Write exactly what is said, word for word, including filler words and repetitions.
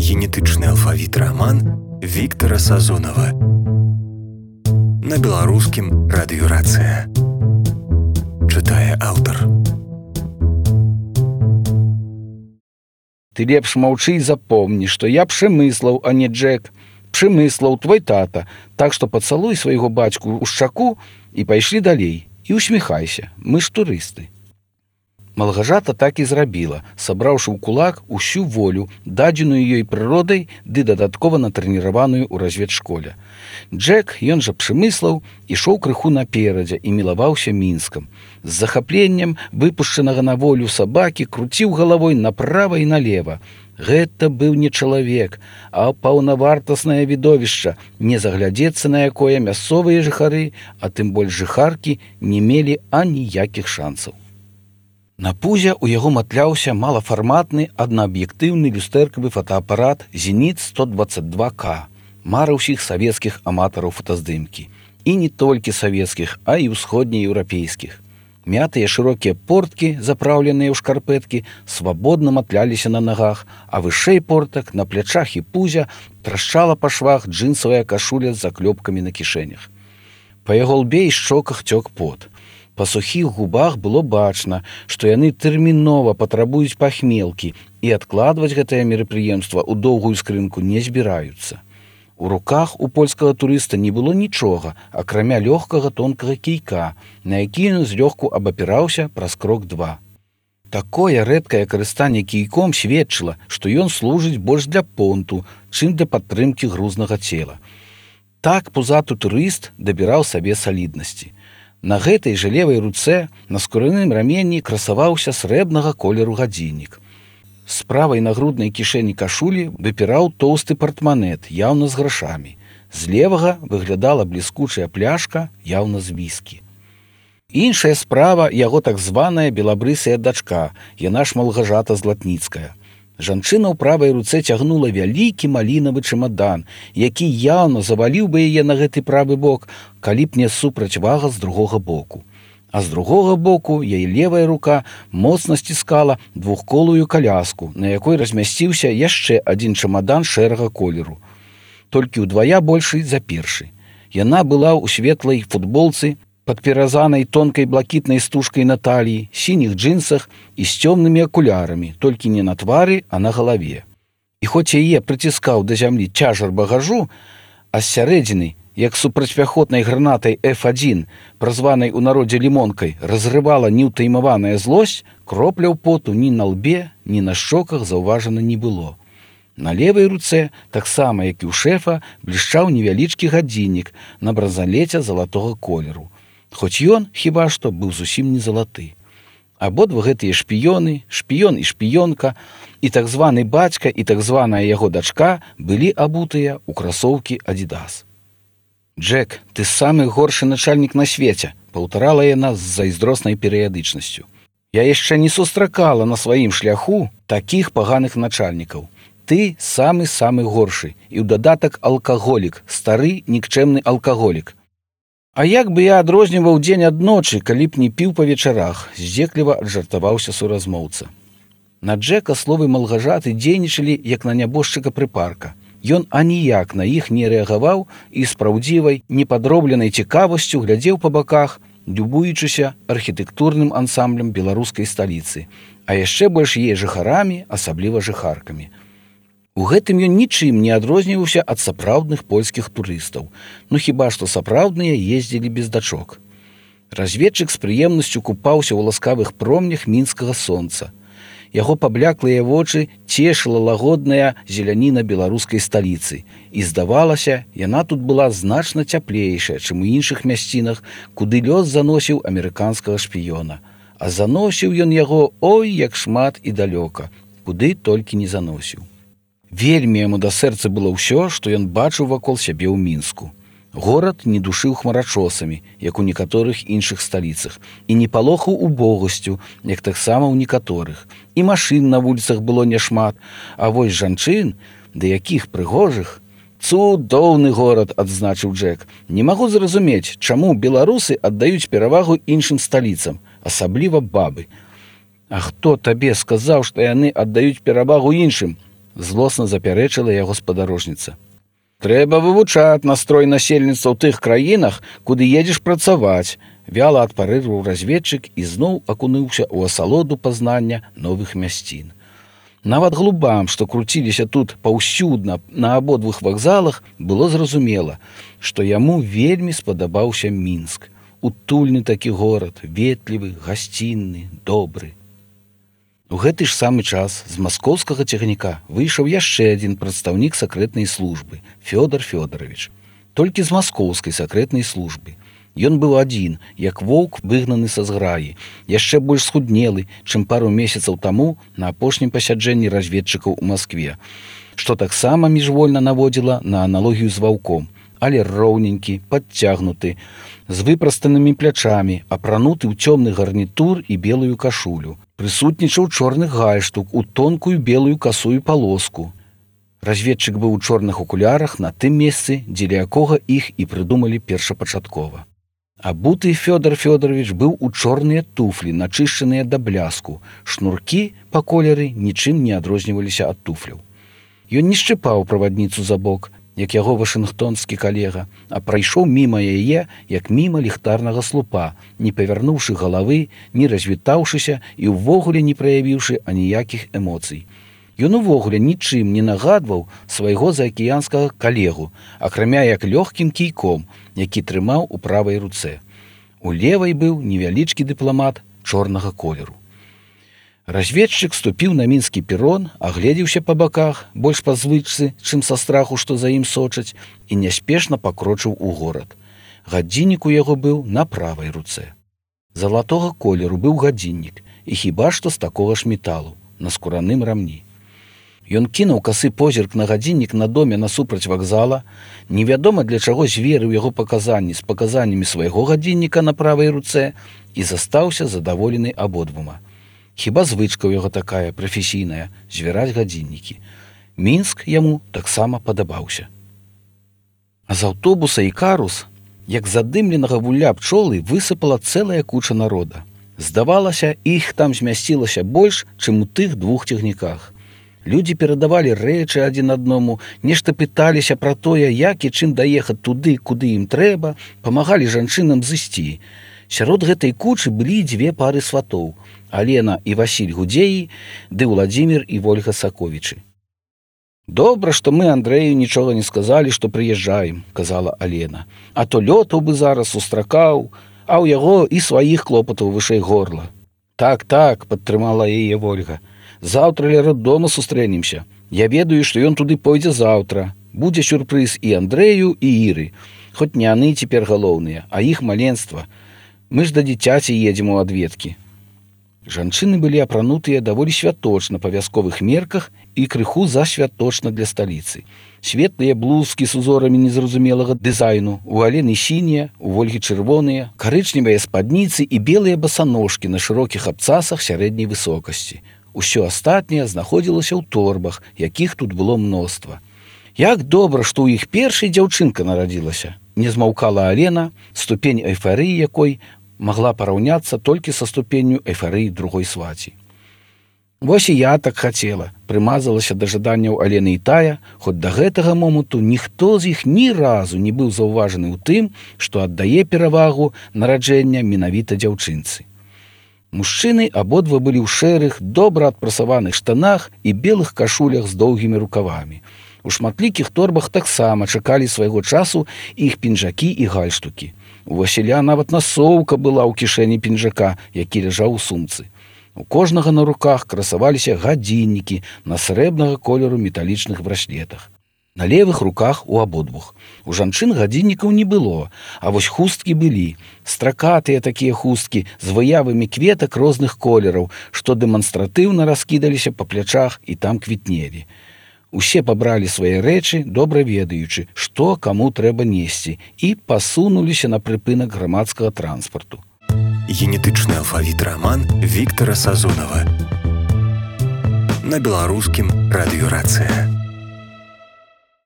генетычны алфавіт раман Віктара Сазонава. На беларускім радыёрацыя. Чытае аўтар. Ты лепш маўчы і запомні, што я Пшемыслаў, а не Джек. Пшемыслаў, твой тата. Так што пацалуй свайго бацьку ў шчаку і пайшлі далей. І усміхайся, мы ж турысты. Малгажата так і зрабіла, сабраўшы ў кулак усю волю, дадзеную ёй прыродай ды дадаткова натрэніраваную ў разведшколе. Джек, ён жа Пшемыслаў, ішоў крыху наперадзе і мілаваўся Мінскам. З захапленнем выпушчанага на волю сабакі круціў галавой направа і налева. Гэта быў не чалавек, а паўнавартаснае відовішча, не заглядзецца на якое мясцовыя жыхары, а тым больш жыхаркі, не мелі аніякіх шансаў. На пузе ў яго матляўся малафарматны аднааб'ектыўны люстэркавы фотоапарат «Зеніт сто дваццаць два К», мара ўсіх савецкіх аматараў фотаздымкі. І не толькі савецкіх, а і ўсходнееўрапейскіх. Мятыя шырокія порткі, запраўленыя ў шкарпэткі, свабодна матляліся на нагах, а вышэй портак, на плячах і пузя трашчала па швах джынсавая кашуля з заклёпкамі на кішэнях. Па яго лбе і шчоках цёк пот. Па сухіх губах было бачна, што яны тэрмінова патрабуюць пахмелкі і адкладваць гэтае мерапрыемства ў доўгую скрынку не збіраюцца. У руках у польскага турыста не было нічога, акрамя лёгкага тонкага кійка, на які ён злёгку абапіраўся праз крок два. Такое рэдкае карыстанне кійком сведчыла, што ён служыць больш для понту, чым для падтрымкі грузнага цела. Так пузаты турыст дабіраў сабе саліднасці. На гэтай жа левай руцэ на скураным раменні красаваўся срэбнага колеру гадзіннік. З правай нагруднай кішэні кашулі выпіраў тоўсты партманет, яўна з грашамі. З левага выглядала бліскучая пляшка, яўна з віскі. Іншая справа яго так званая белабрысая дачка, яна ж Малгажата Златніцкая. Жанчына ў правай руцэ цягнула вялікі малінавы чемадан, які яўна заваліў бы яе на гэты правы бок, калі б не супрацьвага з другога боку. А з другога боку яе левая рука моцна сціскала двухколую каляску, на якой размясціўся яшчэ адзін чемадан шэрага колеру. Толькі ўдвая большы за першы. Яна была ў светлай футболцы, падперазанай тонкай блакітнай стужкай на таліі, сініх джинсах і з цёмнымі акулярамі, толькі не на твары, а на галаве. І хоць яе прыціскаў да зямлі цяжар багажу, а з сярэдзіны, як супрацьпяхотнай гранатай эф адзін, празванай у народзе лімонкай, разрывала неўтаймаваная злосць, кропляў поту ні на лбе, ні на шчоках заўважана не было. На левай руцэ, таксама як і ў шэфа, блішчаў невялічкі гадзіннік на бразалеце залатога колеру. Хоць ён, хіба што, быў зусім не залаты. Абодва гэтыя шпіёны, шпіён і шпіёнка, і так званы бацька, і так званая яго дачка былі абутыя ў красоўкі «Адідас». «Джек, ты самы горшы начальнік на свеце», паўтарала яна з зайздроснай перыядычнасцю. «Я яшчэ не сустракала на сваім шляху такіх паганых начальнікаў. Ты самы-самы горшы, і ў дадатак алкаголік, стары нікчэмны алкаголік. А як бы я адрозніваў дзень ад ночы, калі б не піў па вечарах», здзекліва аджартаваўся суразмоўца. На Джека словы Малгажаты дзейнічалі, як на нябожчыка прыпарка. Ён аніяк на іх не рэагаваў і з праўдзівай, непадробленай цікавасцю глядзеў па баках, любуючыся архітэктурным ансамблем беларускай сталіцы, а яшчэ больш яе жыхарамі, асабліва жыхаркамі. У гэтым ён нічым не адрозніваўся ад сапраўдных польскіх турыстаў, ну хіба што сапраўдныя ездзілі без дачок. Разведчык з прыемнасцю купаўся ў ласкавых промнях мінскага сонца. Яго пабляклыя вочы цешыла лагодная зеляніна беларускай сталіцы, і, здавалася, яна тут была значна цяплейшая, чым у іншых мясцінах, куды лёс заносіў амерыканскага шпіёна. А заносіў ён яго ой як шмат і далёка, куды толькі не заносіў. Вельмі яму да сэрца было ўсё, што ён бачыў вакол сябе ў Мінску. Горад не душыў хмарачосамі, як у некаторых іншых сталіцах, і не палохаў убогасцю, як таксама ў некаторых. І машын на вуліцах было няшмат, а вось жанчын, да якіх прыгожых. «Цудоўны горад», адзначыў Джек. «Не магу зразумець, чаму беларусы аддаюць перавагу іншым сталіцам, асабліва бабы. А хто табе сказаў, што яны аддаюць перавагу іншым? злосна запярэчыла яго спадарожніца. Трэба вывучаць настрой насельніцтва ў тых краінах, куды едзеш працаваць, вяла адпарэжваў разведчык і зноў акунуўся ў асалоду пазнання новых мясцін. Нават глубам, што круціліся тут паўсюдна на абодвух вакзалах, было зразумела, што яму вельмі спадабаўся Мінск. Утульны такі горад, ветлівы, гасцінны, добры. У гэты ж самы час з маскоўскага цягніка выйшаў яшчэ адзін прадстаўнік сакрэтнай службы – Фёдор Фёдорович. Толькі з маскоўскай сакрэтнай службы. Ён быў адзін, як воўк выгнаны са зграі, яшчэ больш схуднелы, чым пару месяцаў таму на апошнім пасяджэнні разведчыкаў у Маскве, што таксама міжвольна наводзіла на аналогію з ваўком, але роўненькі, падцягнуты, з выпрастанымі плячамі, апрануты ў цёмны гарнітур і белую кашулю. Прысутнічаў чорны гальштук у тонкую белую касую палоску. Разведчык быў у чорных акулярах на тым месцы, дзеля якога іх і прыдумалі першапачаткова. Абуты Фёдор Фёдорович быў у чорныя туфлі, начышчаныя да бляску. Шнуркі па колеры нічым не адрозніваліся ад туфляў. Ён не шчыпаў правадніцу за бок, як яго вашынгтонскі калега, а прайшоў міма яе, як міма ліхтарнага слупа, не павярнуўшы галавы, не развітаўшыся і ўвогуле не праявіўшы аніякіх эмоцый. Ён увогуле нічым не нагадваў свайго заакіянскага калегу, акрамя як лёгкім кійком, які трымаў у правай руцэ. У левай быў невялічкі дыпламат чорнага колеру. Разведчык ступіў на мінскі перон, агледзеўся па баках, больш па звычцы, чым са страху, што за ім сочаць, і няспешна пакрочыў у горад. Гадзіннік у яго быў на правай руцэ. Залатога колеру быў гадзіннік, і хіба што з такога ж металу, на скураным рамні. Ён кінуў касы позірк на гадзіннік на доме насупраць вакзала, невядома для чаго зверыў яго паказанні з паказаннямі свайго гадзінніка на правай руцэ і застаўся задаволены абодвума. Хіба звычка ў яго такая, прафесійная, звяраць гадзіннікі. Мінск яму таксама падабаўся. А з аўтобуса Ікарус, як задымленага вулля пчолы, высыпала цэлая куча народа. Здавалася, іх там змясцілася больш, чым у тых двух цягніках. Людзі перадавалі рэчы адзін аднаму, нешта пыталіся пра тое, як і чым даехаць туды, куды ім трэба, памагалі жанчынам зысці. Сярод гэтай кучы былі дзве пары сватоў – Алена і Васіль Гудзеі, ды Владзімір і Вольга Саковічы. «Добра, што мы Андрэю нічога не сказалі, што прыязджаем», – казала Алена. «А то лётаў бы зараз устракаў, а ў яго і сваіх клопатаў вышэй горла». «Так, так», – падтрымала яе Вольга. «Заўтра ля роддома сустрэнемся. Я ведаю, што ён туды пойдзе заўтра. Будзе сюрпрыз і Андрэю, і Іры. Хоць не яны цяпер галоўныя, а іх маленства. Мы ж да дзіцяці едзем у адведкі». Жанчыны былі апранутыя даволі святочна па вясковых мерках і крыху засвяточна для сталіцы. Светлыя блузкі з узорамі незразумелага дызайну, у Алены сінія, у Вольгі чырвоныя, карычневыя спадніцы і белыя басаножкі на шырокіх абцасах сярэдняй высокасці. Усё астатняе знаходзілася ў торбах, якіх тут было мноства. Як добра, што ў іх першай дзяўчынка нарадзілася, не змаўкала Алена, ступень эйфарыі якой магла параўняцца толькі са ступенню эйфарыі другой сваці. Вось і я так хацела, прымазалася да жаданняў Алены і тая, хоць да гэтага моманту ніхто з іх ні разу не быў заўважаны ў тым, што аддае перавагу нараджэння менавіта дзяўчынцы. Мужчыны абодва былі ў шэрых, добра адпрасаваных штанах і белых кашулях з доўгімі рукавамі. У шматлікіх торбах таксама чакалі свайго часу іх пінжакі і гальштукі. У Васіля нават насоўка была ў кішэні пінжака, які ляжаў у сумцы. У кожнага на руках красаваліся гадзіннікі на срэбнага колеру металічных браслетах. На левых руках у абодвух. У жанчын гадзіннікаў не было, а вось хусткі былі. Стракатыя такія хусткі з выявамі кветак розных колераў, што дэманстратыўна раскідаліся па плячах і там квітнелі. Усе пабралі свае рэчы, добра ведаючы, што каму трэба несці, і пасунуліся на прыпынак грамадскага транспарту. Генетычны алфавіт раман Віктара Сазонава. На беларускім радыёрацыя.